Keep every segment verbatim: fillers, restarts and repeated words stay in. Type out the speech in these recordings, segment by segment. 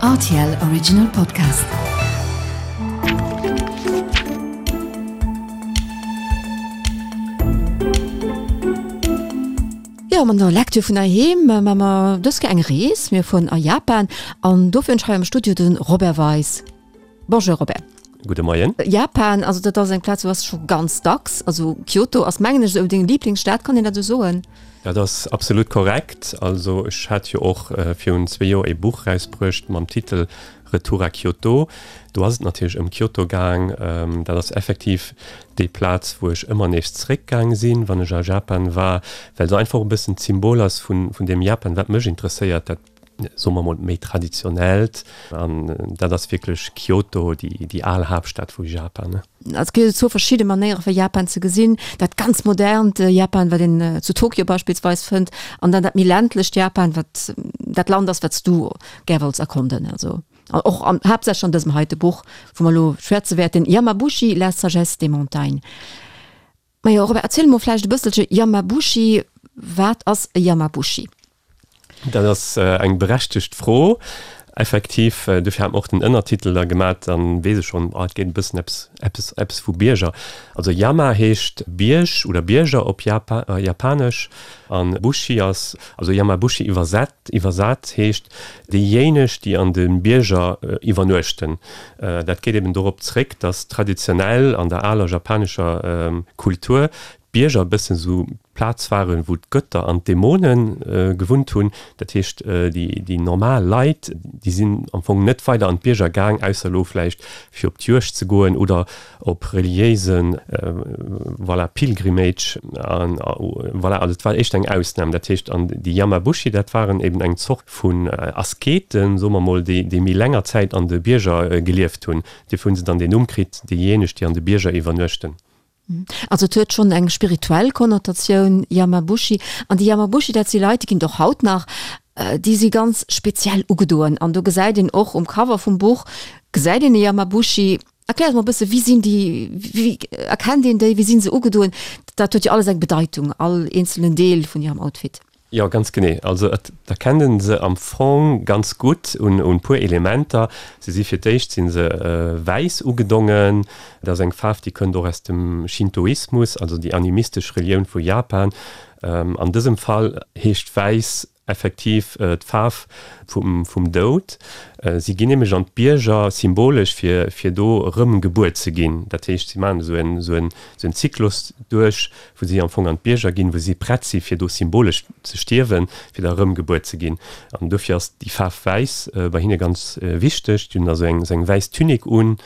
R T L Original Podcast. Jo, mat der Lecture vun heiheem maache mer dës Kéier eng Rees. Mir fueren a Japan an dofir hunn ech hei am Studio de Robert Weis. Bonjour Robert. Gudde Moien. Japan, also dat ass eng Plaz, wou bass scho ganz dacks. Also Kyoto ass mengen ech esou deng Liblingsstad, kann een dat esou soen? Dat ass absolut korrekt. Also ech hat jo och virun zwee Joer ee Buch erausbruecht mam Titel Retour à Kyoto. Do ass et natierlech ëm Kyoto gaang. Dat ass effektiv déi Plaz, wou ech ëmmer nees zeréckgaang sinn, wann ech a Japan war, well se einfach e bëssen d'Symbol ass vun deem Japan, wat mech interesséiert, dat, soe mer mol, méi traditionellt. An dat ass wierklech Kyoto, déi al Haaptstad vu Japan. Et gëtt jo zwou verschidde Manéiere fir Japan ze gesinn, dat ganz modernt Japan, wat een zu Tokio beispillsweis fënnt, an dann dat méi ländlecht Japan, wat dat Land ass, wat s du gär wollts erkonden. Also och an haaptsächlech an dësem heite Buch, wou mer elo schwätze wäerten, Yamabushi, la sagesse des montagnes. Majo Robert, erziel emol vläicht e bësselche, Yamabushi, wat ass e Yamabushi? Dat ass eng berechtegt Fro. Effektiv, dofir hat mer och den Ënnertitel da gemat, dann weess ech schonn, ah, et geet e bëssen eppes, eppes, eppes vu Bierger. Also Yama heescht Bierg oder Bierger op Japa, Japanesch an Bushi ass, also Yamabushi iwwersat, iwwersat heescht déijéineg, déi an de Bierger iwwernuechten. Dat geet eben dorop zréck, dass traditionell an der aler japanescher Kultur d'Bierger e bëssen esou d'Plaz waren, wou d'Götter an d'Dämone gewunnt hunn. Dat heescht, déi normal Leit, déi sinn am Fong net weider an d'Bierger gaang, ausser elo vläicht fir op d'Juegd ze goen oder op reliéise, voilà, Pilgrimage. An voilà, also et war éischter eng Ausnam. Dat heescht, an déi Yamabushi, dat waren eben eng Zort vun Asketen, soe mer mol, déi méi länger Zäit an de Bierger gelieft hunn. Dofir hu se dann deen Numm kritt, déijéineg, déi an de Bierger iwwernuechten. Also et huet schonn eng spirituell Konnotatioun, Yamabushi. An déi Yamabushi, dat si Leit, déi ginn et och haut nach, déi si ganz speziell ugedoen. An do gesäit een och um Cover vum Buch, gesäit een e Yamabushi. Erklär eis mol e bësse, wéi sinn déi, wéi erkennt een déi, wéi si se ugedoen? Dat huet jo alles eng Bedeitung, all eenzelen Deel vun hirem Outfit. Jo, ganz genee. Also et erkennt en se am Fong ganz gutt un un puer Elementer. Se si fir d'éischt si se wäiss ugedongen. Dat ass eng Faarf, déi kënnt och aus dem Shintoismus, also déi animistesch Relioun vu Japan. An dësem Fall heescht wäiss effektiv d'Faarf vum vum Doud. Si ginn nämlech an d'Bierger symbolesch fir fir do erëm gebuer ze ginn. Dat heescht, si maachen esou en esou en esou en Zyklus duerch, wou si am Fong an d'Bierger ginn, wou si prett si fir do symbolesch ze stierwen, fir da erëm gebuer ze ginn. An dofir ass déi Faarf wäiss bei hinne ganz wichteg. Déi hunn da sou eng sou eng wäiss Tunique un.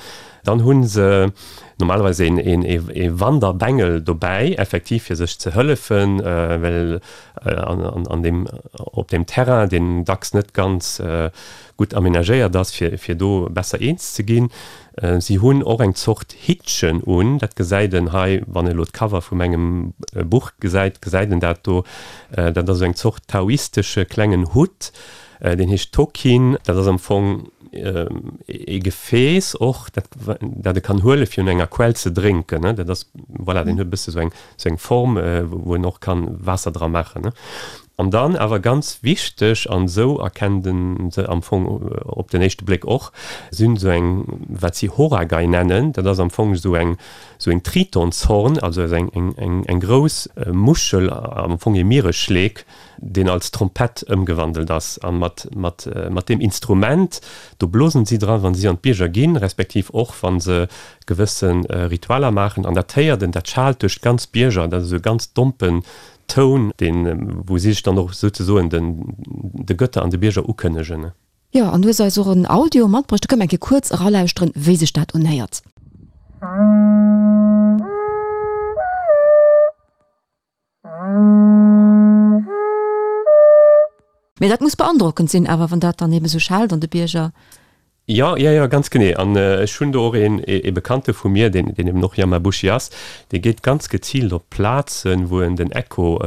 Dann hu se normalerweis een een ee Wanderbengel dobäi, effektiv fir sech ze hëllefen, well an an an deem op deem Terrain, deen dacks net ganz gutt amenagéiert ass, fir fir do besser eens ze ginn. Si hunn och eng Zort Hittchen un, dat gesäit en hei, wann e lo d'Cover vu mengem Buch gesäit, gesäit en dat do. Dat ass esou eng Zort taoistesche klengen Hutt, deen heescht Tokin. Dat ass am Fong ee Gefääss och, dat dat e kann huele fir un enger Quell ze drénken. Dat ass, voilà, deen huet e bësse sou eng sou eng Form, wou en och kann Waasser dra maachen. An dann awer ganz wichteg, an esou erkennt en se am Fong op den éischte Bléck och, si hunn esou eng, wat si Horagai nennen, dat ass am Fong esou eng, esou en Tritonshorn, also esou eng, eng, eng, eng grouss Muschel, am Fong ee Mieresschleek, deen als Trompett ëmgewandelt ass. A mat, mat, mat deem Instrument, do blosen si dran, wa si an d'Bierger ginn, respektiv och wa se gewësse Ritualer maachen. An dat héiert en, dat schaalt duerch d'ganz Bierger, dat ass esou e ganz dompen Toun, deen, wou si sech dann och souzesoen den, de Götter an de Bierger ukënnegen. Jo, an du hues eis och en Audio matbruecht, do kënne mer eng Kéier kuerz eralauschteren, wéi sech dat unhéiert. Mee dat muss beandrockend sinn awer, wann dat dann eben esou schellt an de Bierger. Jo, jo, jo, ganz genee. An ech hunn do och een, ee Bekannte vu mir, deen, deen eben och Yamabushi ass, dee geet ganz geziilt op Plazen, wou en den Echo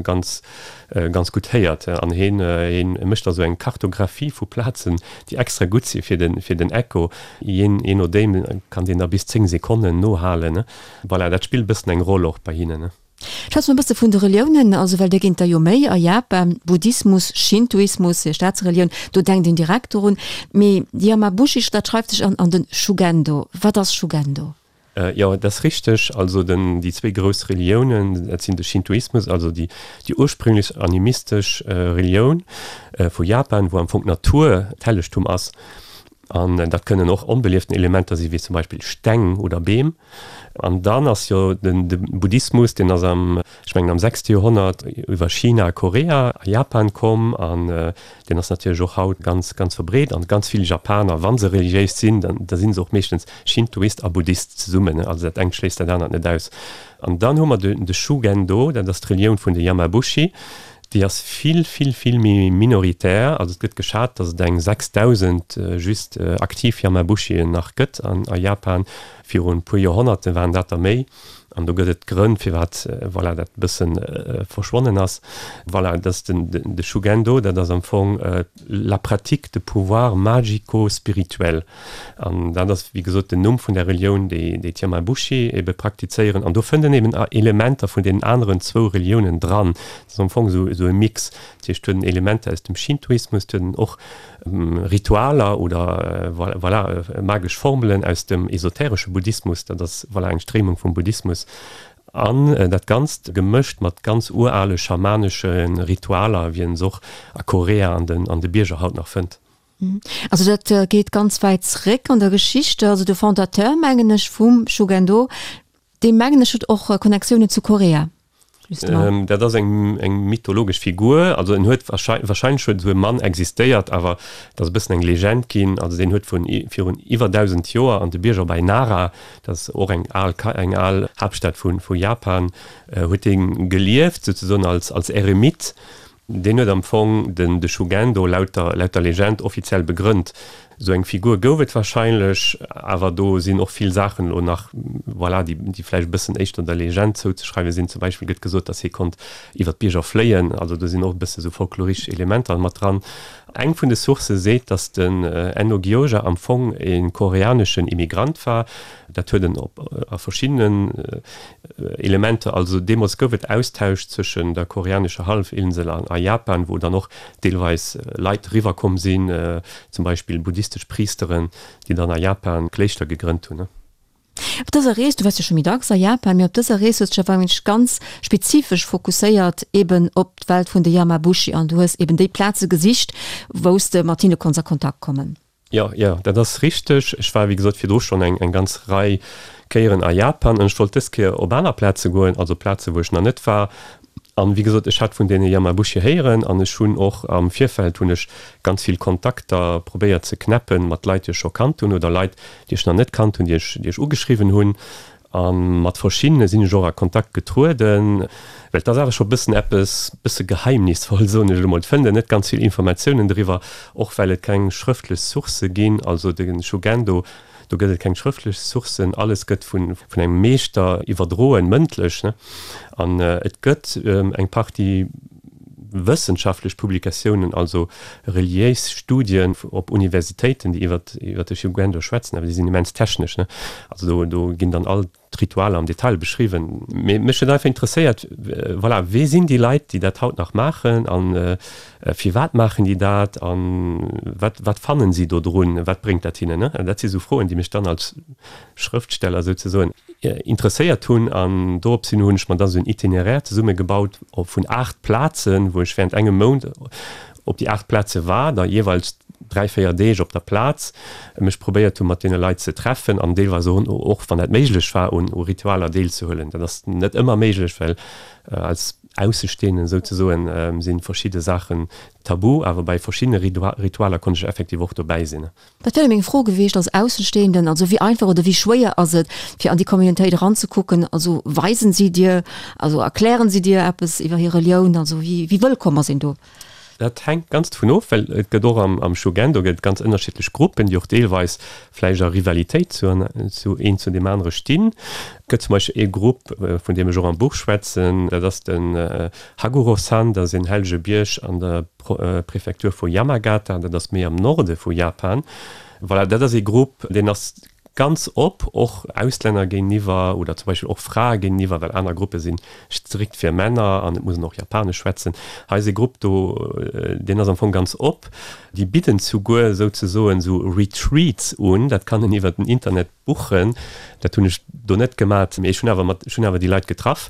ganz, ganz gutt héiert. An heen, heen mécht da sou eng Kartographie vu Plazen, déi extra gutt si fir den, fir den Echo. Jee, jee nodeem kann deen da bis zéng Sekonnen nohalen. Voilà, dat spillt e bëssen eng Roll och bei hinnen. Schwätze mer e bësse vun de Reliounen, also well där ginn et der jo méi a Japan, Buddhismus, Shintoismus, hir Staatsrelioun, do denkt een direkt dorun. Mee déi Yamabushi, dat schreift sech an an de Shugendo. Wat ass Shugendo? Jo, dat ass richteg. Also den, déi zwee grouss Reliounen, dat sinn de Shintoismus, also déi, déi ursprünglech animistesch Relioun vu Japan, wou am Fong d'Natur d'Hellegtum ass. An dat kënnen och onbelieften Elementer sinn, wéi zum Beispill Steng oder Beem. An dann ass jo den de Buddhismus, deen ass am, ech mengen am sechste Joerhonnert iwwer China, Korea a Japan komm an deen ass natierlech och haut ganz, ganz verbreet. An ganz vill Japaner, wa se reliéis sinn, dann da si se och meeschtens Shintoist a Buddhist zesummen. Also dat engt schléisst dat anert net aus. An dann hu mer de de Shugendo, dat ass d'Relioun vun de Yamabushi. Déi ass vill, vill, vill méi minoritär. Also et gëtt geschat, datt et eng sechsdausend just aktiv Yamabushien nach gëtt an a Japan. Virun e puer Joerhonnerte waren dat der méi. An do gëtt et Grënn, firwat, voilà, dat e bësse verschwonnen ass. Voilà, dat ass den, de Shugendo, dat ass am Fong la pratique de pouvoirs magico-spirituels. An dat ass, wéi gesot, den Numm vun der Relioun, déi déi d'Yamabushi ebe praktizéieren. An do fënnt een eben Elementer vun deenen aneren zwou Reliounen dran. Dat ass am Fong esou esou e Mix. Dat heescht, et huet en Elementer aus dem Shintoismus, et huet en och Ritualer oder voilà, magesch Formelen aus dem esoteresche Buddhismus. Dat ass, voilà, eng Stréimung vum Buddhismus. An dat Ganzt gemëscht mat ganz urale schamanesche Ritualer, wéi een se och a Korea an den an de Bierger haut nach fënnt. Also dat geet ganz wäit zréck an der Geschicht. Also de Fondateur, mengen ech, vum Shugendo, dee mengen ech huet och Connectiounen zu Korea, justement. Dat ass eng eng mythologesch Figur. Also en huet wahrscheinlech huet esou e Mann existéiert, awer et ass e bëssen eng Legend ginn. Also deen huet vun virun iwwer dausend Joer an de Bierger bei Nara, dat ass och eng al eng al Haaptstad vu vu Japan, huet dee gelieft, souzesoen als als Eremit. Deen huet am Fong den de Shugendo laut der laut der Legend offiziell begrënnt. Esou eng Figur gouf et wahrscheinlech, awer do sinn och vill Saachen elo nach, voilà, déi déi vläicht e bëssen éischter der Legend zouzeschreiwe sinn. Zum Beispill gëtt gesot, datt hie konnt iwwer d'Bierger fléien. Also do sinn och e bësse sou folkloristesch Elementer mat dran. Eng vun de Sourcë seet, datt den Enno Gyoja am Fong e koreaneschen Immigrant war. Dat huet en op a verschiddenen Elementer. Also deemools gouf et Austausch zwëschen der koreanescher Hallefinsel an a Japan, wou dann och deelweis Leit eriwwer komm sinn, zum Beispill buddhistesch Priesteren, déi dann a Japan Kléischter gegrënnt hunn. Op dëser Rees, du waars jo scho méi dacks a Japan, mee op dëser Rees hues du dech awer wierklech ganz spezifesch fokusséiert eben op d'Welt vun de Yamabushi an du hues eben déi Plaze gesicht, wou s de mat hinne konns a Kontakt kommen. Jo, jo, dat ass richteg. Ech war, wéi gesot, virdru schonn eng, eng ganz Rei Kéieren a Japan an ech wollt dës Kéier op aner Plaze goen, also Plaze wou ech nach net war. An, wéi gesot, ech hat vun deene Yamabushi héieren an ech hunn och am Virfeld hunn ech ganz vill Kontakter probéiert ze knäppen mat Leit, déi ech scho kannt hunn oder Leit, déi ech nach net kannt hunn, déi ech, déi ech ugeschriwwen hunn. A mat verschiddene sinn ech och a Kontakt getrueden, well et ass awer scho bëssen eppes bësse geheimnisvoll, soen ech elo mol. Et fënnt een net ganz vill Informatiounen driwwer, och well et keng schrëftlech Sourcë ginn. Also de Shugendo, do gëtt et keng schrëftlech Sourcen, alles gëtt vun vun engem Meeschter iwwerdroen, mëndlech, ne. An et gëtt eng Partie wëssenschaftlech Publikatiounen, also reliéis Studien op Universitéiten, déi iwwer iwwer de Shugendo schwätzen, awer déi sinn immens technesch, ne? Also do do ginn dann all d'Ritualer am Detail beschriwwen. Mee mech huet einfach interesséiert, voilà, wee sinn déi Leit, déi dat haut nach maachen a firwat maachen déi dat a wat wat fannen si do drun, wat bréngt dat hinnen, ne? Dat si sou Froen, déi mech dann als Schrëftsteller souzesoen interesséiert hunn an dorops hin hunn ech mer da sou en Itinéraire zesumme gebaut vun aacht Plazen, wou ech während engem Mount op déi aacht Plaze war, da jeeweils dräi, véier Deeg op der Plaz, mech probéiert hu mat deene Leit ze treffen an deelweis och, wann dat méiglech war, un u Ritualer deelzehuelen. Dat ass net ëmmer méiglech, well als Aussestehenden souzesoen si verschidde Saachen tabu, awer bei verschiddene Ritualer konnt ech effektiv och dobäi sinn. Dat wär meng Fro gewiescht als Aussenstehenden, also wéi einfach oder wéi schwéier ass et fir an déi Communautéit eranzekucken? Also weisen si dir, also erklären si dir eppes iwwer hir Relioun? Also wéi wéi wëllkomm ass een do? Dat hänkt ganz dovun of, well et gëtt och am am Shugendo gëtt et ganz ënnerschiddlech Gruppen, déi och deelweis vläicht a Rivalitéit zu zu een zu deem anere stinn. Et gëtt zum Beispill ee Grupp, vun deem ech och am Buch schwätzen, dat ass den Haguro-san, dat ass een hellege Bierg an der Prefektur vu Yamagata, dat ass méi am Norde vu Japan. Voilà, dat ass ee Grupp, deen ass ganz op, och Auslänner géintiwwer oder zum Beispill och Frae géintiwwer, well aner Gruppe sinn strikt fir Männer an et muss een och Japanesch schwätzen. Hei ass e Grupp do, deen ass am Fong ganz op. Déi bidden souguer souzesoen esou Retreats un, dat kann een iwwer den Internet buchen. Dat hunn ech do net gemat, mee ech hunn awer mat, ech hunn awer déi Leit getraff.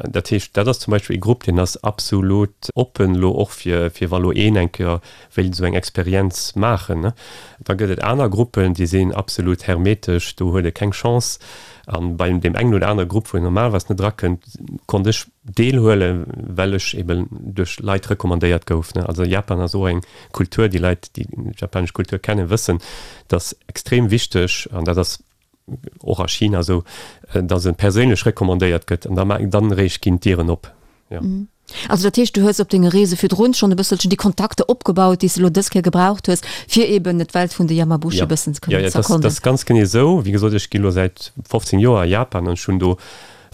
Dat heescht, dat ass zum Beispill e Grupp, deen ass absolut oppen elo och fir, fir wa lo een eng Kéier wéilt esou eng Experienz maachen, ne. Da gëtt et aner Gruppen, déi sinn absolut hermetesch, do huet e keng Chance. A bei deem engen oder anere Grupp, wou een normalerweis net erakënnt, konnt ech deelhuelen, well ech eben duerch Leit recommandéiert gouf, ne. Also Japan ass och eng Kultur, déi Leit, déi japanesch Kultur kennen, wëssen, dass extrem wichteg, an dat ass och a China esou, dass e perséinlech recommandéiert gëtt an da dann eréischt ginn d'Dieren op. Jo. Also dat heescht, du hues op denge Reese virdrun schonn e bësselchen déi Kontakter opgebaut, déi s de elo dës Kéier gebraucht hues, fir eben d'Welt vun de Yamabushi e bëssen ze kënnen ze erkonden. Jo, dat ass ganz genee esou. Wéi gesot, ech gi elo säit fofzéng Joer a Japan an ech hunn do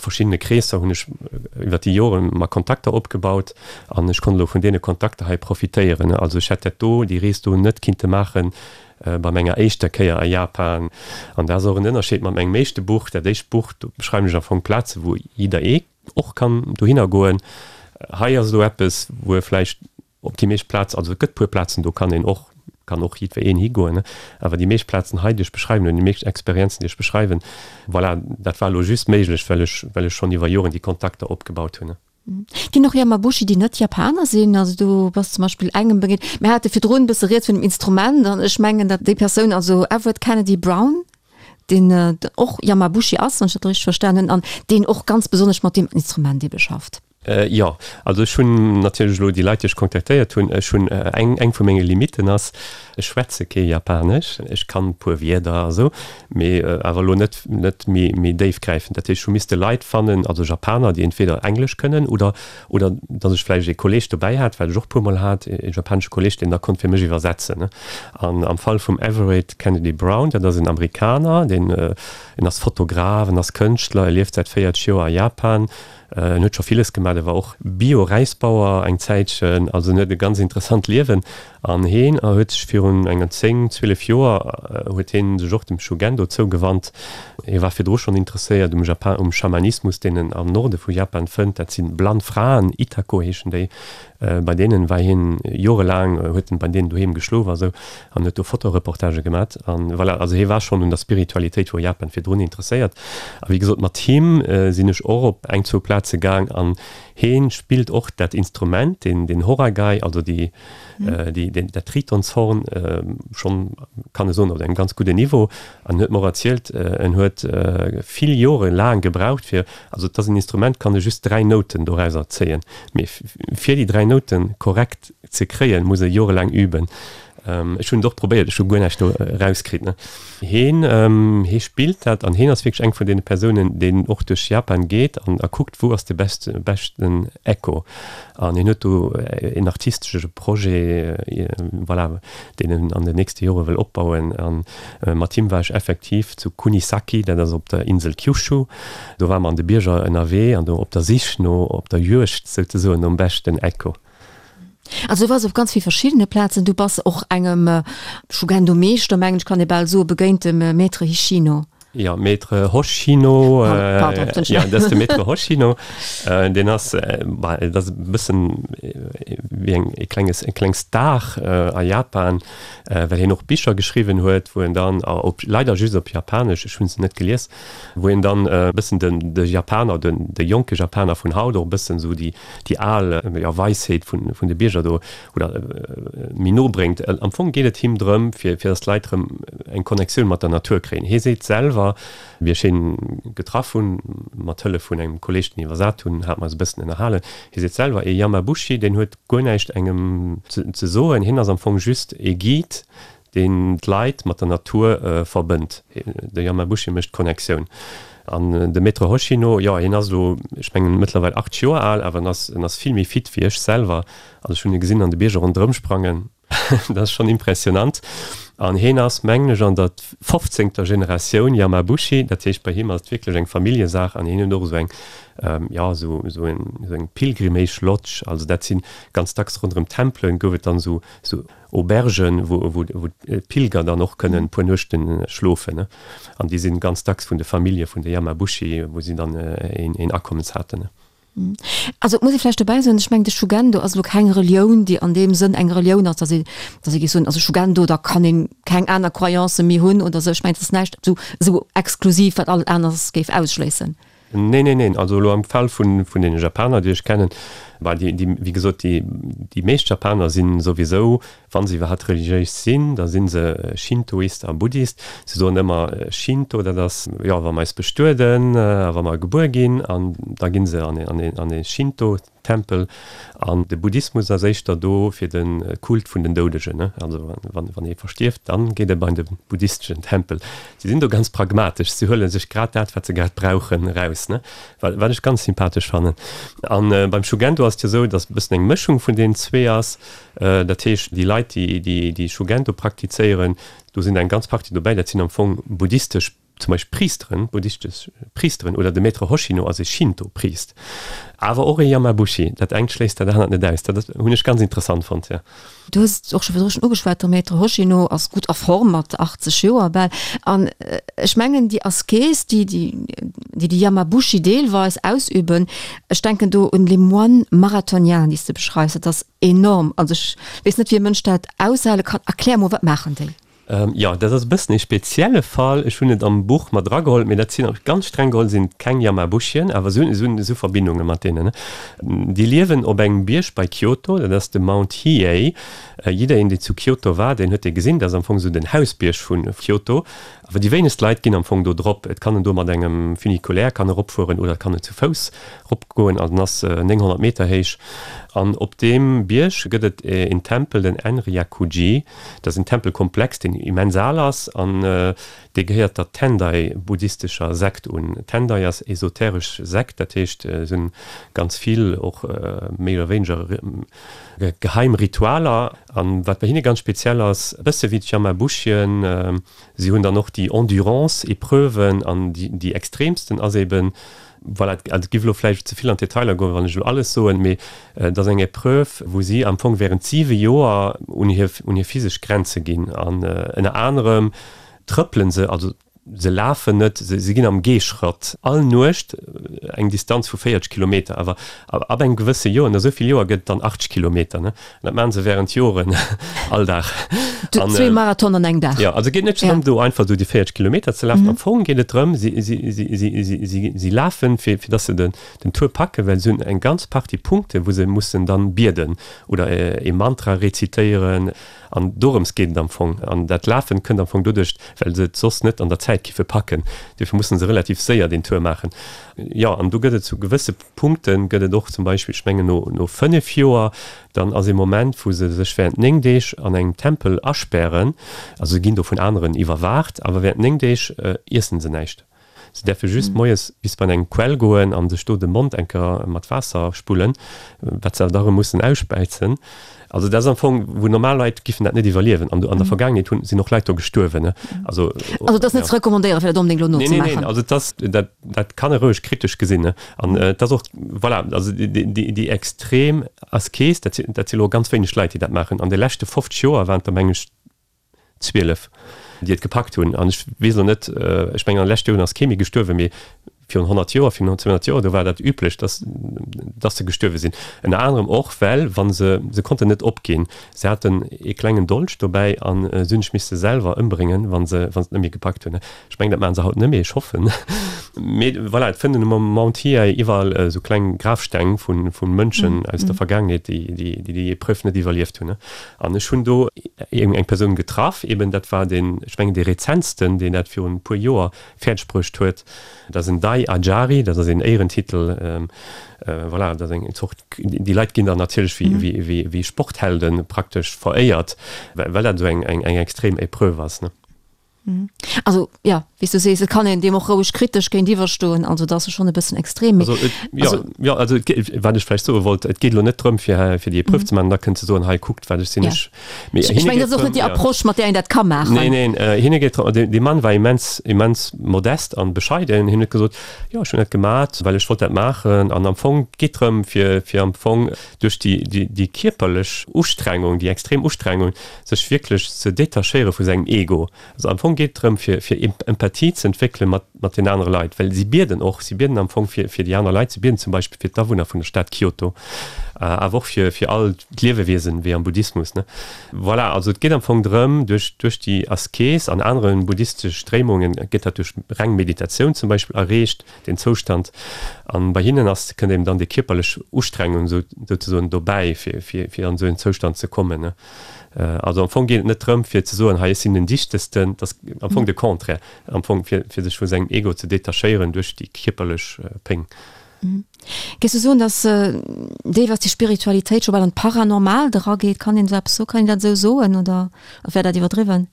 verschiddene Kreesser hunn ech iwwer déi Jore mer Kontakter opgebaut an ech konnt elo vun deene Kontakter hei profitéieren. Also ech hätt dat do, déi Rees do net kinnte maachen bei menger éischter Kéier a Japan. An dat ass och en Ënnerscheed mat mengem éischte Buch. Dat éischt Buch, do beschreiwen ech am Fong Plaze wou jidderee och kann dohinner goen. Hei ass elo eppes, wou e vläicht op déi meescht Plaz, also et gëtt puer Plazen, do kann een och, kann och jiddwereen higoen, awer déi meescht Plazen hei, déi ech beschreiwen hunn, déi meescht Experienzen, déi ech beschreiwen, voilà, dat war elo just méiglech, well ech, well ech schonn iwwer Joren déi Kontakter opgebaut hunn. Ginn och Yamabushi, déi net Japaner sinn? Also du bass zum Beispill engem begéint, mir hate virdrun e bësse rieds vun dem Instrument an ech mengen, datt déi Persoun, also Everett Kennedy Brown, deen och Yamabushi ass, wann ech dat richteg verstan hunn, an deen och ganz besonnesch mat deem Instrument ebe schafft. Jo, also ech hunn natierlech elo déi Leit, déi ech kontaktéiert hunn, ech hunn eng, eng vu menge Limitten ass, ech schwätze kee Japanesch. Ech kann e puer Wierder a sou, mee awer elo net, net méi, méi déifgräifend. Dat heescht, ech hu misste Leit fannen, also Japaner, déi entweder Englesch kënnen oder, oder datt ech vläicht ee Kolleeg dobäi hat, wat ech och e puermol hat, ee japanesche Kolleeg, deen da konnt fir mech iwwersetzen. An am Fall vum Everett Kennedy Brown, dat ass en Amerikaner, deen, en ass Fotograf, en ass Kënschtler, e lieft säit véierzeg Joer a Japan. En huet scho villes gemaat, e war och Bio-Räisbauer eng Zäitchen, also en huet e ganz interessant Liewen. An heen huet sech virun enger zéng, zwielef Joer huet heen sech och dem Shugendo zougewannt. Hie war virdru schonn interesséiert um Japan, um Schamanismus, deen en am Norde vu Japan fënnt. Dat si blann Fraen, Itako heeschen déi. Bei deenen war hien jorelaang, huet en bei deenen doheem geschlof a sou an huet do Fotoreportagë gemat. An voilà, also hie war schonn un der Spiritualitéit vu Japan virdrun interesséiert. A wéi gesot, mat him sinn ech och op eng, zwou Plaze gaang an hee spillt och dat Instrument, deen, deen Horagai, also déi, déi, deen, dat Tritonshorn schonn, kann e soen, op engem ganz gudden Niveau. An huet mer och erzielt, en huet vill Jore laang gebraucht fir, also et ass en Instrument, kann e just dräi Nouten dorauser zéien, mee fir déi dräi Nouten korrekt ze kréien, muss e jorelaang üben. Ech hunn et och probéiert, ech hu guer näischt do erauskritt. Heen, hee spillt dat an heen ass wierklech eng vun deene Persounen, deen och duerch Japan geet an a kuckt, wou ass de beste, beschten Echo. An hien huet do een artistesche Projet, voilà, deen en an den nächste Jore wëll opbauen. A mat him war ech effektiv zu Kunisaki, dat ass op der Insel Kyushu. Do ware mer an de Bierger ënnerwee an do op der Sich no, op der Juegd souzesoen nom beschten Echo. Also du wars op ganz vill verschiddene Plazen. Du bass och engem Shugendo-Meeschter, mengen ech kann ee bal soen, begéint, dem Maître Hishino. Jo, Maître Hoshino, Pardon, jo, dat ass de Maître Hoshino. Deen ass, bah, dat ass e bëssen wéi eng e klenges, e kleng Star a Japan, well hien och Bicher geschriwwen huet, wou en dann, op, leider just op Japanesch, ech hu se net gelies, wou en dann e bëssen den, de Japaner, den, de jonke Japaner vun haut och e bëssen esou déi, déi al, jo, Weisheet vun, vun de Bierger do, oder méi no bréngt. Am Fong geet et him drëm, fir, fir datt d'Leit erëm eng Connectioun mat der Natur kréien. Hie seet selwer, wéi ech hien getraff hunn, mat Hëllef vun engem Kolleeg, deen iwwersat hunn, hate mer eis e bëssen ënnerhalen, hie seet selwer, ee Yamabushi, deen huet guer näischt engem ze, ze soen, hien ass am Fong just ee Guide, deen d'Leit mat der Natur verbënnt. De Yamabushi mécht d'Connectioun. An de Maître Hoshino, jo, hien ass elo, ech mengen, mëttlerweil achtzeg Joer al, awer en ass, en ass vill méi fit wéi ech selwer. Also ech hunn e gesinn an de Bierger ronderëm sprangen. Dat ass schonn impressionant. An hien ass, mengen ech, an der fofzéngter Generatioun Yamabushi. Dat heescht, bei him ass et wierklech eng Familljesaach an hien huet och esou eng, jo, esou, esou eng, esou eng Pilgrimage Lodge. Also dat si ganz dacks ronderëm Tempelen gouf et dann esou, esou Aubergen, wou, wou, wou d'Pilger dann och kënnen e puer Nuechte schlofen, ne. An déi sinn ganz dacks vun de Famillje vun de Yamabushi, wou si dann een, een Akommes haten, ne. Also et muss ee vläicht dobäi soen, ech mengen de Shugendo ass elo keng Relioun, déi an deem Sënn eng Relioun ass, datt ee, datt ee géif soen, also Shugendo, da kann ee keng aner Croyancë méi hunn oder esou. Ech mengen, et ass näischt esou, esou exklusiv, wat alles aneres géif ausschléissen. Neen, neen, neen. Also elo am Fall vun, vun deene Japaner, déi ech kennen, bah, déi, déi, wéi gesot, déi, déi meescht Japaner si souwisou, wa se iwwerhaapt religiéis sinn, da si se Shintoist a Buddhist. Se soen ëmmer, Shinto, dat ass, jo, wa mer eis bestueden a wa mer gebuer ginn, an da gi se an een, an ee Shinto-Tempel. An de Buddhismus ass éischter do fir de Kult vun den Doudegen. Also wann, wann ee verstierft, dann geet e bei de buddhisteschen Tempel. Si sinn do ganz pragmatesch, si huele sech grad dat, wat se grad brauchen, eraus, wat, wat ech ganz sympathesch fannen. An beim Shugendo ass et jo esou, datt e bëssen eng Mëschung vun deenen zwee ass. Dat heescht, déi Leit, déi, déi, déi Shugendo praktizéieren, do sinn eng ganz Partie dobäi, dat sinn am Fong buddhistesch zum Beispill Priesteren, buddhistesch Priesteren, oder de Maître Hoshino ass e Shinto-Priest, awer och e Yamabushi. Dat engt schléisst dat anert net aus. Dat hunn ech ganz interessant fonnt, jo. Du hues et och scho virdru schonn ugeschwat, de Maître Hoshino ass gutt a Form mat achtzeg Joer bal. An ech mengen, déi Askes, déi déi déi Yamabushi deelweis ausüben, ech denken do un les moines marathoniens, déi s de beschreifs, dat ass enorm. Also ech weess net, wéi e Mënsch dat aushale kann. Erklär mol, wat maachen déi? Jo, dat ass e bëssen ee spezielle Fall. Ech hunn et am Buch mat erageholl, mee dat sinn, ganz streng geholl sinn et keng Yamabushien, awer se hunn esou Verbindunge mat deenen. Déi liewen op engem Bierg bei Kyoto, dat ass de Mount Hiei. Jiddereen, deen zu Kyoto war, deen huet dee gesinn. Dat ass am Fong esou den Hausbierg vu Kyoto. Awer déi wéinegst Leit ginn am Fong do drop. Et kann en do mat engem Funiculaire kann eropfueren oder et kann en zu Fouss eropgoen. Also en ass nénghonnert Meter héich. An op deem Bierg gëtt et een Tempel, den Enryakuji. Dat ass en Tempelkomplex, deen immens al ass an dee gehéiert der Tendai-buddhistescher Sekt un. Tendai ass esoteresch Sekt, dat heescht, se hunn ganz vill och méi oder wéineger geheim Ritualer. An wat bei hinne ganz speziell ass, e bësse wéi d'Yamabushien, si hunn dann och déi Endurance-Epreuven an déi extremsten ass eben, Voilà, also et giff elo vläicht ze vill an d'Detailer goen, wann ech elo alles soen, mee et ass eng Epreuve, wou si am Fong während siwe Joer un hir, un hir physesch Grenze ginn an ënner anerem trëppele se, also se lafen net, se, se ginn am Geeschratt all Nuecht eng Distanz vu véierzeg Kilometer, awer ab engem gewësse Joer, no esou vill Joer gëtt et dann achtzeg Kilometer, ne? An dat maache se während Joren all Dag. An, Zwee Marathon an engem Dag. Jo, also et geet net drëm, do einfach esou déi véierzeg Kilometer ze lafen. Am Fong geet et drëm, si, si, si, si, si, si, si lafen, fir, fir dass se den, den Tour packen, well se hunn eng ganz Partie Punkte, wou se mussen dann bieden oder e Mantra rezitéieren. An dorëms geet et am Fong. An dat Lafen kënnt am Fong doduerch, well se et soss net an der Zäit giffe packen. Duerfir mussen se relativ séier deen Tour maachen. Jo, an do gëtt et zu gewësse Punkte gëtt et och zum Beispill, ech mengen no, no fënnef Joer, Dann ass ee Moment, wou se sech während néng Deeg an engem Tempel aspären, also se ginn do vun aneren iwwerwaacht, awer während néng Deeg iessen se näischt. Se däerfe just moies bis bei eng Quell goen an sech do de Mond eng Kéier mat Waasser spullen, wat se awer da erëm mussen ausspäizen. Also dat ass am Fong, wou normal Leit giffen dat net iwwerliewen. An an der Vergaangenheet hunn, sinn och Leit do gestuerwen, ne. Also, Also et ass net ze recommandéieren, fir dat onbedéngt elo nozemaachen? Neen, neen, neen, also et ass, dat, dat kann e roueg kritesch gesinn, ne. An et ass och, voilà, also déi, déi extrem Askes, dat sinn, dat si elo ganz wéineg Leit, déi dat maachen. An de leschte fofzeg Joer waren et der, meng ech, zwielef, déi et gepackt hunn. An ech weess elo net, ech mengen an de leschte Joren ass kee méi gestuerwen, mee virun honnert Joer, virun zweehonnert Joer, do war dat üblech, dass, dass se gestuerwe sinn. Ënner anerem och, well wa se, se konnten net opginn, se haten ee klengen Dolch dobäi a se hunn sech misse selwer ëmbréngen, wa se, wa se et net méi gepackt hunn. Ech mengen, dat maache se haut net méi, ech hoffen. Mee voilà, et fënnt een um Mount Hiei iwwerall esou kleng Grafsteng vu, vu Mënschen aus der Vergaangenheet, déi, déi, déi déi Epreuve net iwwerlieft hunn. An ech hunn do eng Persoun getraff, eben dat war deen, ech mengen dee rezentsten, deen dat virun e puer Joer fäerdeg bruecht huet. Dat ass en Dai Ajari, dat ass een Éierentitel, voilà, dat ass eng Zort, déi Leit ginn dann natierlech wéi Sporthelden praktesch veréiert, well dat esou eng extrem Epreuve ass, ne. Also jo, wéi s du sees, et kann een deem och roueg kritesch géintiwwer stoen, also dat ass schonn e bëssen extrem, mee. Also et, jo, jo, also et geet, wat ech vläicht soe wollt, et geet elo net drëm, fir, fir déi Epreuve ze maachen, da kënnt ze soen, hei kuckt, wat ech sinn, ech. Mee ech mengen, dat ass och net déi Approche, mat där een dat ka maachen. Neen, neen, hinne geet drëm, dee Mann war immens, immens modest an bescheiden, hien huet gesot, jo, ech hunn dat gemat, well ech wollt dat maachen an am Fong geet drëm, fir, fir am Fong duerch déi, déi, déi kierperlech Ustrengung, déi extrem Ustrengung, sech wierklech ze detachéiere vu sengem Ego. Also am Fong geet et drëm, fir, fir Empathie ze entwéckele mat, mat den anere Leit, well si bieden och, si bieden am Fong fir, fir déi aner Leit, si bieden zum Beispill fir d'Awunner vun der Stad Kyoto, awer och fir, fir all d'Liewewiesen, wéi am Buddhismus, ne. Voilà, also et geet am Fong drëm, duerch, duerch déi Askes an anere buddhistesch Stréimungen gëtt dat duerch reng Meditatioun zum Beispill erreecht, deen Zoustand. An bei hinnen ass, kënnt eben dann déi kierperlech Ustrengung sou, souzesoen dobäi, fir, fir, fir an esou en Zoustand ze kommen, ne. Also am Fong geet et net drëm, fir ze soen, hei ech sinn den Dichtesten, et ass am Fong de Contraire, am Fong fir, fir sech vu sengem Ego ze detachéieren duerch déi kierperlech Péng. Géifs du soen, datt deelweis déi Spiritualitéit scho bal an d'Paranormaalt erageet? Kann een esou eppes soen? Kann een dat esou soen oder wär dat iwwerdriwwen?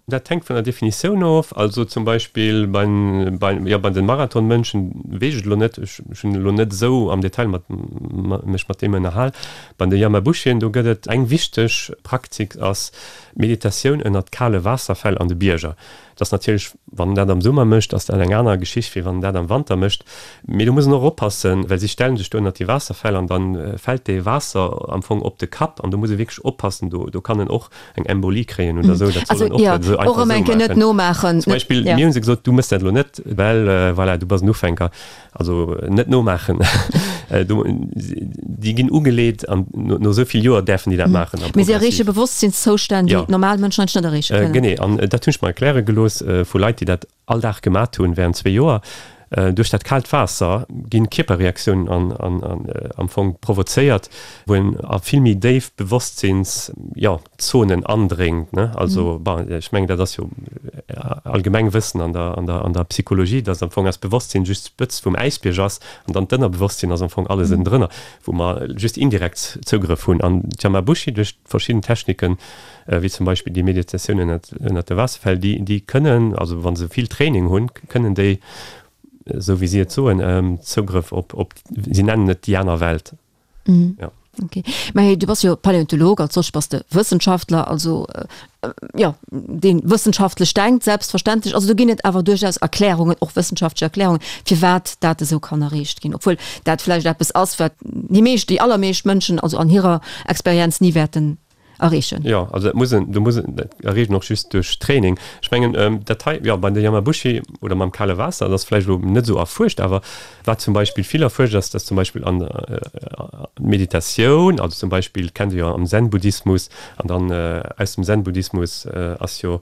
Dat hänkt vun der Definitioun of. Also zum Beispill beim, beim, jo, bei den Marathonmënschen weess ech et elo net, ech hunn elo net esou am Detail mat, mech mat deem ënnerhal. Bei de Yamabushien, do gëtt et eng wichteg Praktik ass d'Meditatioun ënnert kale Waasserfäll an de Bierger. Et ass natierlech, wann en dat am Summer mécht, ass dat eng aner Geschicht, wéi wann en dat am Wanter mécht. Mee do muss en och oppassen, well si stellen sech do ënnert déi Waasserfäll an da fält dee Waasser am Fong op de Kapp an do muss e wierklech oppassen, do, do kann en och eng Embolie kréien oder esou. Dat soll en och net esou einfach esou maachen. Zum Beispill mir hu se gesot, du méchs dat elo net, well voilà, du bass en Ufänker. Also net nomaachen. Déi ginn ugeleet an no esou vill Joer däerfen déi dat maachen. Mee si erreeche Bewosstsinnszoustänn, déi normal Mënschen eigentlech net erreeche kënnen. Genee, an dat hunn ech mer erkläre gelooss vu Leit, déi dat all Dag gemat hunn während zwee Joer. Duerch dat kaalt Waasser ginn Kierperreaktiounen am Fong provozéiert, wou een a vill méi déif Bewosstsinns, jo, Zonen andréngt, ne. Also, bon, ech mengen, dat ass jo allgemeng Wëssen an der, an der, an der Psychologie, dass am Fong eist Bewosstsinn just d'Spëtzt vum Äisbierg ass an dann d'Ënnerbewosstsinn ass am Fong alles ënnendrënner, wou mer just indirekt Zougrëff hunn. An d'Yamabushi, duerch verschidden Techniken, wéi zum Beispill déi Meditatioun ënnert, ënnert de Waasserfäll, déi, déi kënnen, also wa se vill Training hunn, kënnen déi, esou wéi si et soen, Zougrëff op, op, si nennen et déi aner Welt. Ja. Okay. Mä du bass jo Paläontolog, als solche bass de Wëssenschaftler, also jo, dee wëssenschaftlech denkt, selbstverständlech. Also do ginn et awer duerchaus Erklärungen, och wëssenschaftlech Erklärungen, firwat dat esou kann erreecht ginn, obwuel dat vläicht eppes ass, wat déi meescht, déi allermeescht Mënschen also an hirer Experienz ni wäerten erreechen. Jo, also dat muss en, do muss en, dat erreecht en och just duerch Training. Ech mengen, dat hei, jo, bei de Yamabushi oder mam kale Waasser, dat ass vläicht elo net esou erfuerscht, awer wat zum Beispill vill erfuerscht ass, dass zum Beispill an Meditatioun, also zum Beispill kennt Dir jo am Zen-Buddhismus, an dann aus dem Zen-Buddhismus ass jo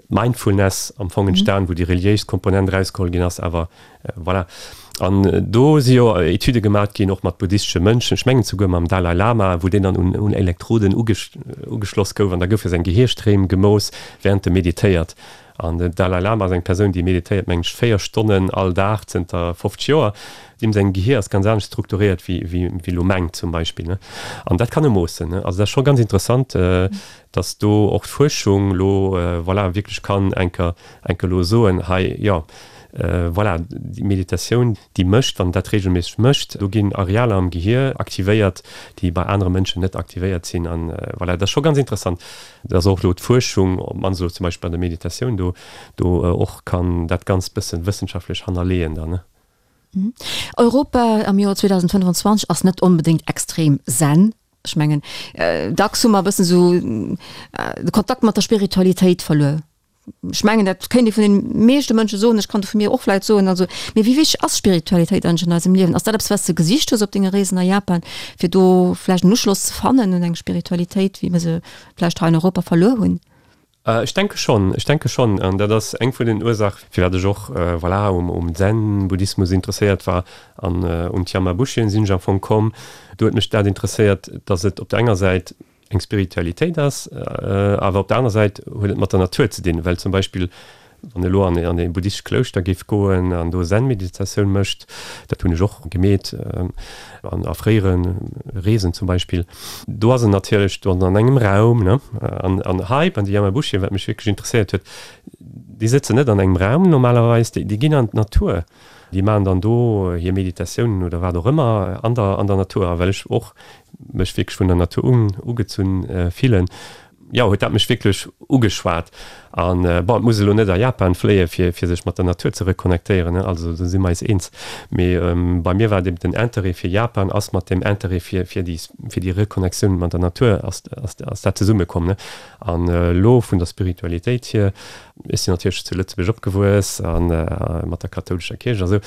Mindfulness am Fong entstan, wou déi reliéis Komponent erausgeholl ginn ass, awer voilà. An do si jo Etüde gemat ginn, och mat buddhistesche Mönchen, ech mengen souguer mam Dalai Lama, wou deen dann un Elektroden ugeschloss gouf an da goufe seng Gehirstréim gemooss, wärend e meditéiert. An den Dalai Lama ass eng Persoun, déi meditéiert, mengen ech, véier Stonnen all Dag zënter fofzeg Joer. Deem säin Gehir ass ganz anescht strukturéiert wéi elo mengt zum Beispill. An dat kann e moossen. Also dat ass scho ganz interessant, dass do och d'Fuerschung elo, voilà, wierklech kann enker enker elo soen, hei, jo, voilà, déi Meditatioun, déi mécht, wann en dat reegelméisseg mécht, do ginn Arealer am Gehir aktivéiert, déi bei anere Mënschen net aktivéiert sinn. An voilà, dat ass scho ganz interessant, dass och elo d'Fuerschung, op d'mannst elo zum Beispill bei der Meditatioun, do do och kann dat Ganzt bëssen wëssenschaftlech hannerleeën dann. Europa am Joer zweedausendfënnwanzwanzeg ass net onbedéngt extrem zen. Ech mengen, dacks hu mer e bëssen esou de Kontakt mat der Spiritualitéit verluer. Ech mengen, dat kéint ee vun den meeschte Mënsche soen, ech kann et vu mir och vläicht soen. Also, mee wéi wichteg ass Spiritualitéit eigentlech an eisem Liewen? Ass dat eppes, wat s de gesicht hues op denge Reesen a Japan, fir do vläicht en Uschloss ze fannen un eng Spiritualitéit, wéi mir se vläicht hei an Europa verluer hunn? Ech denke schonn, ech denke schonn. An dat ass eng vun den Ursaach, firwat ech och, voilà, um, um Zen-Buddhismus interesséiert war an un d'Yamabushien sinn ech am Fong komm. Do huet mech dat interesséiert, datt et op der enger Säit eng Spiritualitéit ass, awer op der aner Säit huet et mat der Natur ze dinn, well zum Beispill Wann e lo an e buddhistescht Klouschter géif goen an do Zen-Meditatioun mécht, dat hunn ech och gemeet an a fréiere Reesen zum Beispill, do ass en natierlech do an engem Raum, ne. An an hei bei de Yamabushi, wat mech wierklech interesséiert huet, déi sëtzen net an engem Raum normalerweis, déi déi ginn an d'Natur, déi maachen dann do hir Meditatiounen oder wat och ëmmer an der an der Natur. A well ech och mech wierklech vun der Natur ugezunn fillen, jo, huet dat mech wierklech ugeschwat. An, bon, et muss elo net a Japan fléie fir fir sech mat der Natur ze reconnectéieren, ne, also do si mer eis eens. Mee bei mir war et eben den Interêt fir Japan ass mat dem Interêt fir fir déi fir déi Reconnectioun mat der Natur ass ass ass dat zesummekomm, ne. An elo vun der Spiritualitéit hier, Ech sinn natierlech zu Lëtzebuerg opgewuess a mat der kathoulescher Kierch a sou,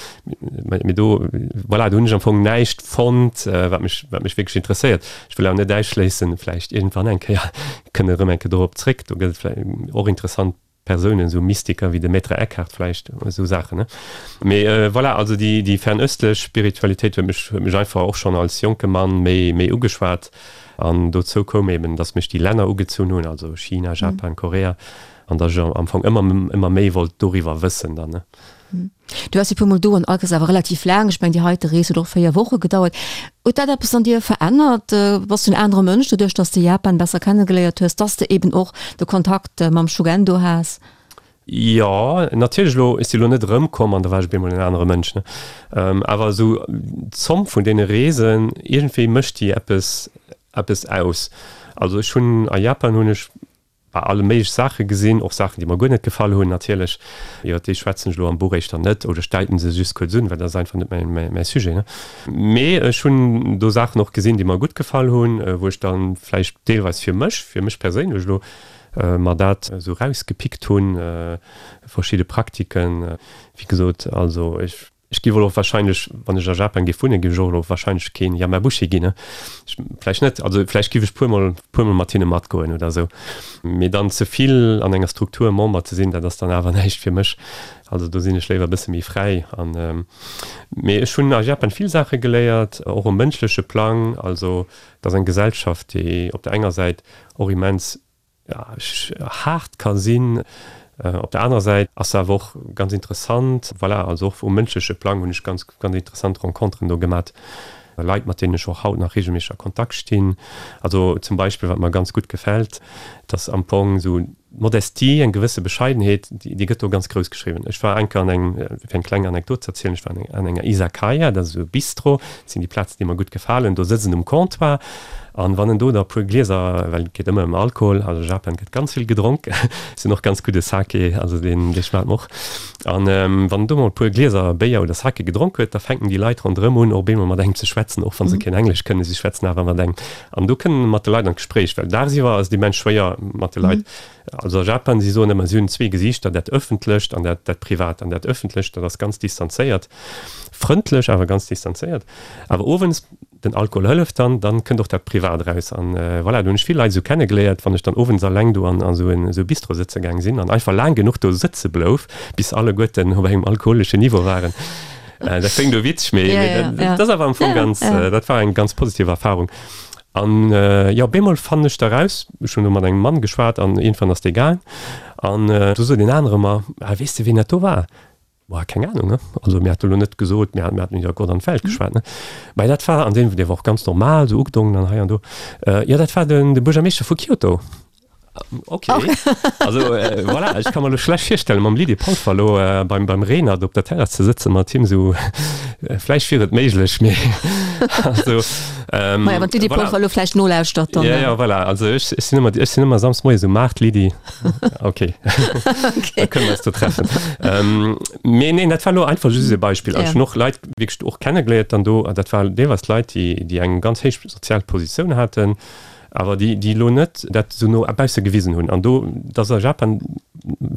mee do, voilà, do hunn ech am Fong näischt fonnt, wat mech, wat mech wierklech interesséiert. Ech wëll awer net ausschléissen, vläicht iergendwann eng Kéier kënne erëm eng Kéier dorop zréck. Do gëtt et vläicht och interessant Persounen, esou Mystiker wéi de Maître Eckhart vläicht, esou Saachen, ne. Mee voilà, also déi, déi fernöstlech Spiritualitéit huet mech, huet mech einfach och schonn als jonke Mann méi, méi ugeschwat. An dozou koum eben, dass mech déi Länner ugezunn hunn, also China, Japan, Korea. An datt ech am Fong ëmmer ëmmer méi wollt doriwwer wëssen dann, ne. Du waars e puer mol do an all Kéiers awer relativ laang. Ech mengen déi heite Rees huet och véier Woche gedauert. Huet dat eppes an dir verännert? Bass du en anere Mënsch doduerch, datt s de Japan besser kennegeléiert hues, datt s de eben och de Kontakt mam Shugendo has? Jo, natierlech elo, ech si elo net erëmkomm an da war ech op eemol en anere Mënsch, ne. Awer esou d'Zomm vun deene Reesen, iergendwéi mécht déi eppes eppes aus. Also ech hunn a Japan hunn ech Bah, alle méiglech Saache gesinn, och Saachen, déi mer guer net gefall hunn natierlech. Iwwer déi schwätzen ech elo am Buch éischter net oder ech deiten se just kuerz un, well dat ass einfach net mäin, mäi Sujet, ne. Mee ech hunn do Saachen och gesinn, déi mer gutt gefall hunn, wou ech dann vläicht deelweis fir mech, fir mech perséinlech elo, mer dat esou rausgepickt hunn, verschidde Praktiken. Wéi gesot, also ech. Ech giff elo wahrscheinlech, wann ech a Japan giff wunnen, giff ech och elo wahrscheinlech keen Yamabushi ginn, ne? Ech, vläicht net, also vläicht giff ech puermol, puermol mat hinne matgoen oder esou. Mee dann ze vill an enger Struktur Member ze sinn, dat ass dann awer näischt fir mech. Also do sinn ech léiwer e bësse méi fräi an, mee ech hunn a Japan vill Saache geléiert, och um mënschleche Plang. Also et ass eng Gesellschaft, déi op der enger Säit och immens haart ka sinn. Op der anerer Säit ass se awer och ganz interessant. Voilà, also och um mënschleche Plang hunn ech ganz, ganz interessant Renconteren do gemat. Leit, mat deenen ech och haut nach reegelméisseg a Kontakt stinn. Also zum Beispill, wat mer ganz gutt gefält, dass am Fong esou d'Modestie, eng gewësse Bescheidenheet, déi gëtt do ganz grouss geschriwwen. Ech war eng Kéier an engem, fir eng kleng Anekdot ze erzielen, ech war an enger Izakaya, dat ass esou e Bistro, dat sinn déi Plazen, déi mer gutt gefalen, do sëtzt en um Comptoir an wann en do da e puer Glieser, well et geet ëmmer ëm Alkohol, also a Japan gëtt ganz vill gedronk, se hunn och ganz gudde Sake, also deen, dee schmaacht mer och, an wann en do mol e puer Glieser Béier oder Sake gedronk huet, da fänken déi Leit ronderëm un, op eemol mat engem ze schwätzen, och wa se keen Englesch kënnen, si schwätzen awer mat engem an do kënnen mat de Leit an d'Gespréich, well dagsiwwer ass et immens schwéier mat de Leit. Also a Japan, si soen ëmmer, si hunn zwee Gesiichter, dat Ëffentlecht an dat, dat Privat. An dat Ëffentlecht, dat ass ganz distanzéiert, frëndlech, awer ganz distanzéiert. Awer owends, den Alkohol hëlleft dann, dann kënnt och dat Privat eraus. An voilà, do hunn ech vill Leit esou kennegeléiert, wann ech dann owends alleng do an esou en, esou e Bistro sëtze gaang sinn an einfach laang genuch do sëtze blouf, bis alleguerten op engem alkoholeschen Niveau waren. Dat kléngt elo witzeg, mee dat ass awer am Fong ganz, dat war eng ganz positiv Erfahrung. An jo, op eemol fannen ech da raus, ech hunn do mat engem Mann geschwat an iergendwann ass dee gaang an du sot een anere mer, Ah, weess de wien dat do war? Boah, keng Ahnung, ne? Also mir hate lo net gesot, mir haten iwwer Gott an d'Welt geschwat, ne? Mä dat war, an deen, dee war och ganz normal, esou ugedongen an hei an do, jo, dat war den, de Buergermeeschter vu Kyoto. Ok, also voilà, ech ka mer lo schlecht virstellen, mam Lydie Polfer lo beim, beim Renert op der Terrass ze sëtzen, mat him esou, vläicht wier et méiglech, mee also, ähm, Maja, wann d'Lydie voilà. Polfer lo vläicht nolauschtert, dann. Ja, ja, voilà, also ech, ech sinn ëmmer, ech sinn ëmmer samsdes moies um aacht, Lydie, ok, da kënne mer eis do treffen. Ähm, mee neen, dat war lo einfach just e Beispill. An ech hunn och Leit wierklech och kennegeléiert dann do, an dat war deelweis Leit, déi, déi eng ganz héich sozial Positioun haten, awer déi, déi elo net dat esou no bausse gewisen hunn. An do, dat ass a Japan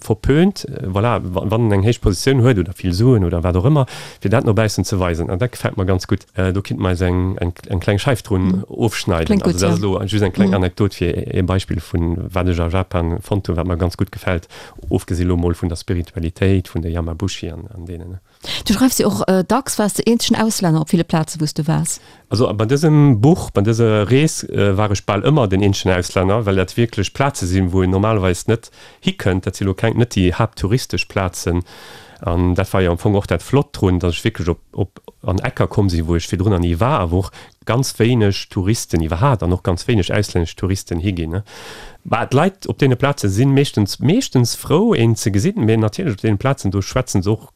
verpönt, voilà, wann en eng héich Positioun huet oder vill Suen oder wat och ëmmer, fir dat no baussen ze weisen. An dat gefält mer ganz gutt. Do kinnt mer eis eng, eng, eng kleng Scheif drun ofschneiden. Kléngt gutt, Also dat ass ja. elo just eng kleng Anekdot fir ee Beispill vun wat ech a Japan fonnt hunn, wat mer ganz gutt gefält, ofgesi lo mol vun der Spiritualitéit, vun de Yamabushi an, an deenen. Du schreifs jo och dacks, waars de eenzegen Auslänner op ville Plaze wou s du waars? Also bei dësem Buch, bei dëser Rees war ech bal ëmmer den eenzegen Auslänner, well dat wierklech Plaze sinn, wou een normalerweis net hikënnt. Dat si lo keng, net déi haapttouristesch Plazen. An dat war jo am Fong och dat Flott drun, datt ech wierklech op, op an Ecker komm sinn, wou ech virdrun nach ni war a wou och ganz wéineg Touristen iwwerhat an och ganz wéineg auslännesch Touristen higinn. Bah, d'Leit op deene Plaze si meeschtens, meeschtens frou, een ze gesinn, mee natierlech op deene Plazen do schwätzen se och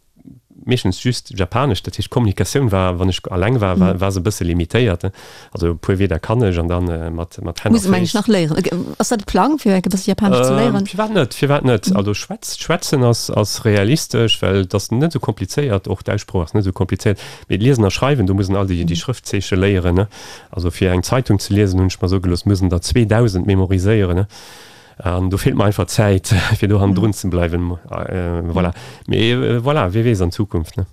meeschtens just Japanesch, dat heescht d'Kommunikatioun war, wann ech alleng war, war, war se e bësse limitéiert. Also e puer Wierder kann ech an dann mat, mat Hänn a Muss een mengen nach léieren. Ass dat de Plang fir e bësse Japanesch ze léieren? Firwat net, firwat net? Also schwätz, schwätzen ass, ass realistesch, well et ass net esou komplizéiert, och d'Aussprooch ass net esou komplizéiert. Mee liesen a schreiwen, do muss en all déi, déi Schrëftzeeche léieren, ne? Also fir eng Zeitung ze liesen, hunn ech mer soe gelooss, muss en der zweedausend memoriséieren, ne? An do feelt mer einfach d'Zäit, fir do hannendrun ze bleiwen. Voilà. Mee voilà, wie weess an Zukunft, ne?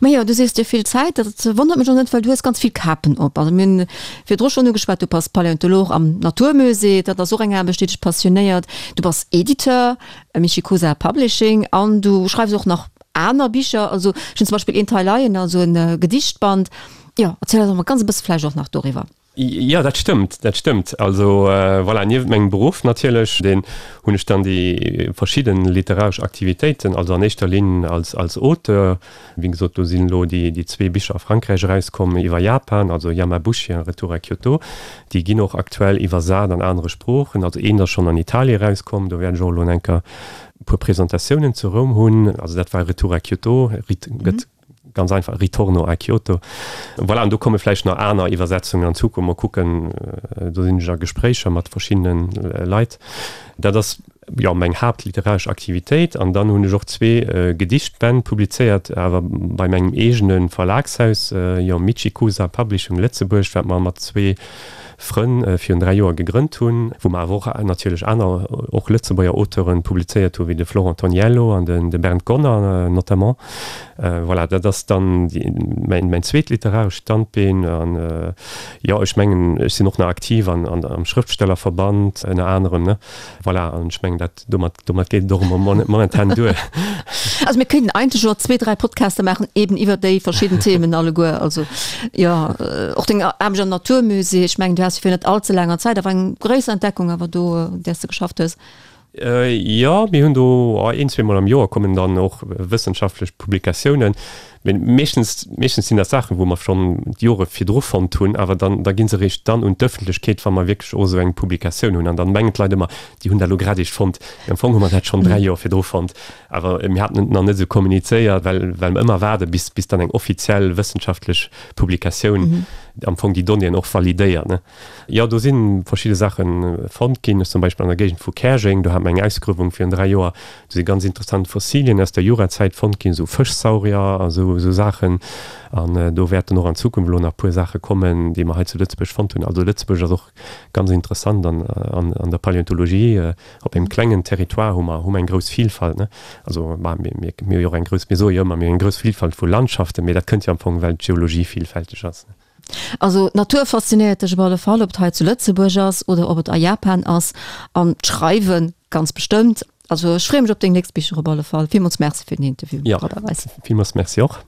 Majo, du sees, dir feelt d'Zäit. Dat wonnert mech och net, well du hues ganz vill Kapen op. Also mir hunn virdru schonn ugeschwat, du bass Paläontolog am Naturmusée, dat ass och eng Aarbecht, déi dech passionéiert. Du bass Editeur, Michikosa Publishing, an du schreifs och nach aner Bicher. Also ech hunn zum Beispill eent hei leien, also e Gedichtband. Jo, erziel eis emol ganz e bësse vläicht och nach doriwwer. Jo, dat stëmmt, dat stëmmt. Also voilà, niewent mengem Beruff natierlech, deen hunn ech dann déi verschidden literaresch Aktivitéiten, also an éischter Linn als als Auteur. Wéi gesot, do sinn elo déi déi zwee Bicher a Frankräich erauskomm iwwer Japan, also Yamabushi a Retour à Kyoto. Déi ginn och aktuell iwwersat an anere Sproochen. Also eent ass schonn an Italie erauskomm, do wäert ech och elo enker e puer Presentatiounen zu Roum hunn. Also dat war Retour à Kyoto, gëtt Ganz einfach, Ritorno a Kyoto. Voilà, an do komme vläicht nach aner Iwwersetzungen an Zukunft. Mol kucken, do sinn ech a Gespréicher mat verschiddene Leit. Dat ass, jo, meng haaptliteraresch Aktivitéit. An dann hunn ech och zwee Gedichtbänn publizéiert, awer bei mengem eegene Verlagshaus, jo, Michikusa Publishing Lëtzebuerg, wat mer mat zwee Frënn virun dräi Joer gegrënnt hunn, wou mer awer och natierlech aner, och Lëtzebuerger Auteuren publizéiert hunn, wéi de Florent Toniello an de Bernd Gonner notamment. Voilà, dat ass dann mäin zweet literarescht Standbeen. An jo, ech mengen, ech sinn och nach aktiv am Schrëftstellerverband ënner anerem, ne? Voilà, an ech mengen, dat domat, domat geet et och momentan duer. Also mir kéinten eigentlech och zwee, dräi Podcaster maachen eben iwwer déi verschidden Themen alleguer. Also jo, och deng Aarbecht am Naturmusée, ech mengen du has jo virun net all ze laanger Zäit awer eng gréisser Entdeckung awer do, un där s de geschafft hues. Jo, mir hunn do een, zweemol am Joer kommen dann och wëssenschaftlech Publikatiounen. Mee meeschtens, meeschtens sinn dat Saachen, wou mer schonn d'Jore virdru fonnt hunn, awer dann, da gi se eréischt dann un d'Ëffentlechkeet, wa mer wierklech och esou eng Publikatioun hunn. An dann mengen d'Leit ëmmer, déi hunn dat elo grad eréischt fonnt. Mee am Fong hu mer dat schonn dräi Joer virdru fonnt, awer mir haten et nach net esou kommunizéiert, well, well mer ëmmer waarde bis, bis dann eng offiziell wëssenschaftlech Publikatioun am Fong déi Donnéeën och validéiert, ne. Jo, do si verschidde Saache fonnt ginn. Zum Beispill an der Géigend vu Käerjeng, do hate mer eng Ausgruewung virun dräi Joer. Do si ganz interessant Fossilien aus der Jurazäit fonnt ginn, esou Fëschsaurier a sou esou Saachen. An do wäerten och an Zukunft elo nach e puer Saache kommen, déi mer hei zu Lëtzebuerg fonnt hunn. Also Lëtzebuerg ass och ganz interessant an an der Paläontologie. Op engem klengen Territoire hu mer hu mer eng grouss Vilfalt, ne. Also bah, mir mir mir hu jo och eng grouss, mir soe jo ëmmer, mir hunn eng grouss Vilfalt vu Landschaften, mee dat kënnt jo am Fong, well d'Geologie villfälteg ass. Also d'Natur faszinéiert dech op alle Fall, ob et hei zu Lëtzebuerg ass oder ob et a Japan ass. An d'Schreiwe ganz bestëmmt. Also ech freeë mech op deng nächst Bicher op alle Fall. Villmools Merci fir den Interview, Robert Weis. Jo, villmools Merci och.